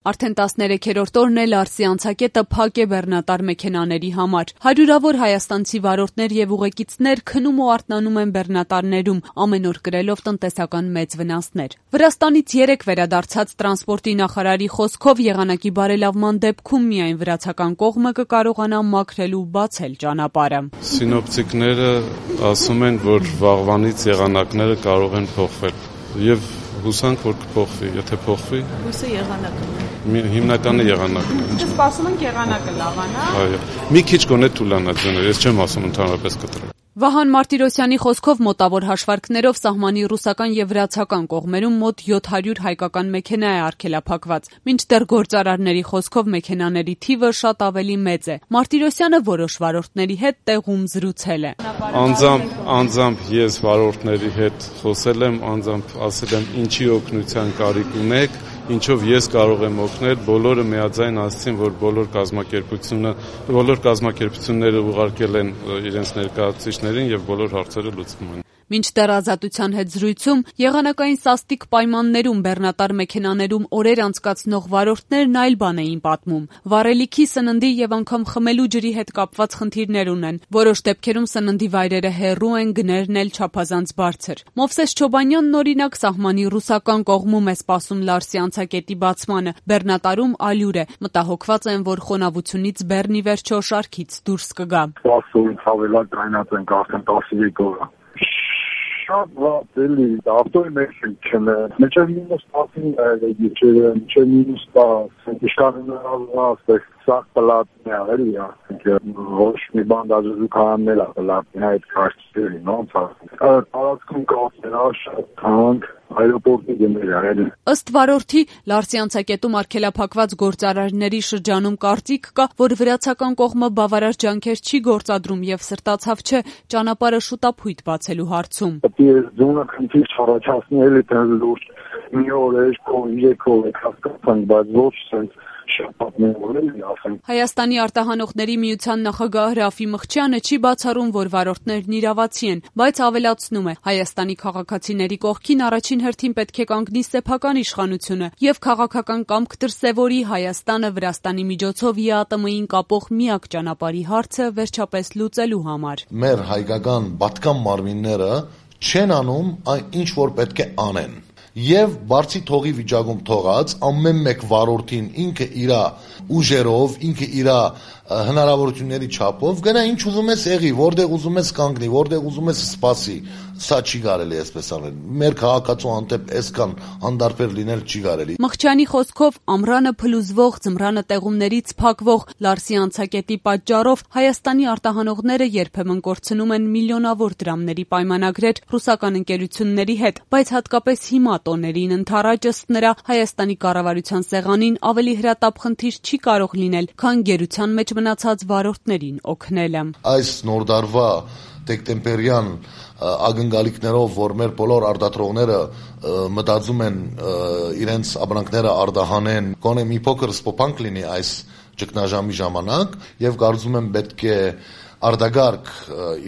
Արդեն 13-րդ օրն է Լարսի անցակետը փակ է բեռնատար մեքենաների համար։ Հարյուրավոր հայաստանցի վարորդներ եւ ուղեկիցներ քնում ու արթնանում են բեռնատարներում, ամեն օր կրելով տնտեսական մեծ վնասներ։ Վրաստանից 3 վերադարձած տրանսպորտի նախարարի խոսքով եղանակի բարելավման դեպքում միայն վրացական կողմը կկարողանա մաքրել ու բացել ճանապարհը։ Սինոպտիկները ասում են, որ վաղվանից եղանակները կարող են փոխվել եւ հուսանք, որ կփոխվի, եթե փոխվի։ Հույսը եղանակն է։ Հիմնականը եղանակն է։ Սպասում ենք եղանակը լավանա։ Այո։ Մի քիչ գոնե թուլանա ձեւը, ես չեմ ասում ընդհանրապես կտրել։ Վահան Մարտիրոսյանի խոսքով մոտավոր հաշվարկներով սահմանի ռուսական եւ վրացական կողմերում մոտ 700 հայկական մեքենա է արգելափակված, մինչդեռ գործարարների խոսքով մեքենաների թիվը շատ ավելի մեծ է։ Մարտիրոսյանը որոշ վարորդների հետ տեղում զրուցել է։ Անձամբ ես վարորդների հետ խոսել եմ, անձամբ ասել եմ ինչի օգնության կարիք ունեք, ինչով ես կարող եմ օգնել, բոլորը միաձայն ասացին, որ բոլոր կազմակերպությունները ուղարկել են իրենց ներկայացուցիչներին եւ բոլոր հարցերը լուծվում են։ Մինչդեռ Ազատության հետ զրույցում եղանակային սաստիկ պայմաններում բեռնատար մեքենաներում օրեր անցկացնող վարորդներն այլ բան էին պատմում։ Վառելիքի, սննդի եւ անգամ խմելու ջրի հետ կապված խնդիրներ ունեն։ Որոշ դեպքերում սննդի վայրերը հեռու են, գներն էլ չափազանց բարձր։ Մովսես Չոբանյանն օրինակ սահմանի ռուսական կողմում է սպասում Լարսի անցակետի բացմանը։ Բեռնատարում ալյուր է։ Մտահոգված են, որ խոնավությունից բեռնի վերջո շարքից դուրս կգա։ Սպասում հավելակ դայնած ենք արդեն 13 օր։ Շատ վատ էլի, ավտոյի մեջ չնե, մինչև մինուս 10 է գիչերը, մինչև մինուս 10, իշկանին ասեք, սաղ պլատն է, էլի, ոչ մի բան դաժը զուքարաններ է պլատն է, այդ կաշտերի, նոնց տարածքում կասերա շատ թանք, այրոպորտի գներ է։ Ըստ վարորդի, Լարսի անցակետում արգելափակված գործարարների շրջանում կարծիք կա, որ վրացական կողմը բավարար ջանքեր չի գործադրում եւ սրտացավ չէ ճանապարհը շուտափույթ բացելու հարցում։ Ձունը քննիչ առաջացնի էլի տենց լուրջ մի օր է, 2 օր է հասկացանք, բայց ոչ սենց Հայաստանի արտահանողների միության նախագահ Ռաֆի Մխչյանը չի բացառում, որ վարորդներն իրավացի են, բայց ավելացնում է, Հայաստանի քաղաքացիների կողքին առաջին հերթին պետք է կանգնի սեփական իշխանությունը եւ քաղաքական կամք դրսեւորի Հայաստանը Վրաստանի միջոցով ԵԱՏՄ-ին կապող միակ ճանապարհի հարցը վերջապես լուծելու համար։ Մեր հայկական բատկան մարմինները չեն անում այն ինչ որ պետք է անեն։ Եվ բարձի թողի վիճակում թողած ամեն մեկ վարորդին ինքը իր ուժերով, ինքը իր հնարավորությունների չափով գնա ինչ ուզում ես եղի, որտեղ ուզում ես կանգնի, որտեղ ուզում ես սպասի, սա չի կարելի այսպես անել։ Մեր քաղաքացու հանդեպ այսքան անդարբեր լինել չի կարելի։ Մխչյանի խոսքով ամռանը փլուզվող, ձմռանը տեղումներից փակվող Լարսի անցակետի պատճառով Հայաստանի արտահանողները երբեմն կորցնում են միլիոնավոր դրամների պայմանագրեր ռուսական ընկերությունների հետ, բայց հատկապես հիմա տոներին ընթառաջ ըստ նրա Հայաստանի կառավարության սեղանին ավելի հրատապ խնդիր չի կարող լինել, քան գերության մեջ մնացած վարորդներին օգնելը։ Այս նոր դարվա դեկտեմբերյան ակնկալիքներով, որ մեր բոլոր արտադրողները մտածում են իրենց ապրանքները արտահանեն, գոնե մի փոքր սպոփանք լինի այս ճգնաժամի ժամանակ եւ կարծում եմ պետք է արտագարկ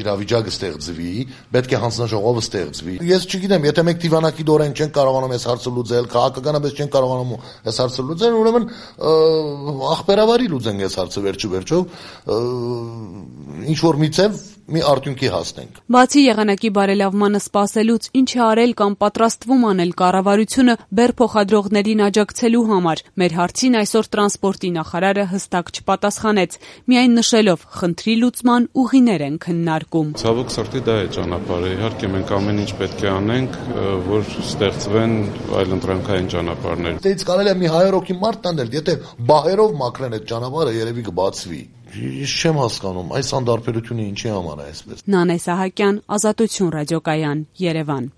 իրավիճակը ստեղծվի, պետք է հանձնաժողովը ստեղծվի։ Ես չգիտեմ, եթե մենք դիվանագի դորեն չեն կարողանում այս հարցը լուծել, քաղաքականապես չեն կարողանում այս հարցը լուծել, ուրեմն ախպերավարի լուծենք այս հարցը վերջո, ինչ որ միցև մի արդյունքի հասնենք։ Բացի եղանակի բարելավմանը սպասելուց, ինչ է արել կամ պատրաստվում անել կառավարությունը բեռ փոխադրողներին աջակցելու համար։ Մեր հարցին այսօր տրանսպորտի նախարարը հստակ չպատասխանեց, միայն նշելով խնդրի լուծման ուղիներ են քննարկում։ Ցավոք սրտի դա է ճանապարհը։ Իհարկե մենք ամեն ինչ պետք է անենք, որ ստեղծվեն այլընտրանքային ճանապարհներ։ Դից կարելի է մի 100 հոգի մարդ տանել, եթե բահերով մաքրեն այդ ճանապարհը, երևի կբացվի։ Ես չեմ հասկանում, այս անդարբերությունը ինչի համար է այսպես։ Նանե Սահակյան, Ազատություն ռադիոկայան, Երևան։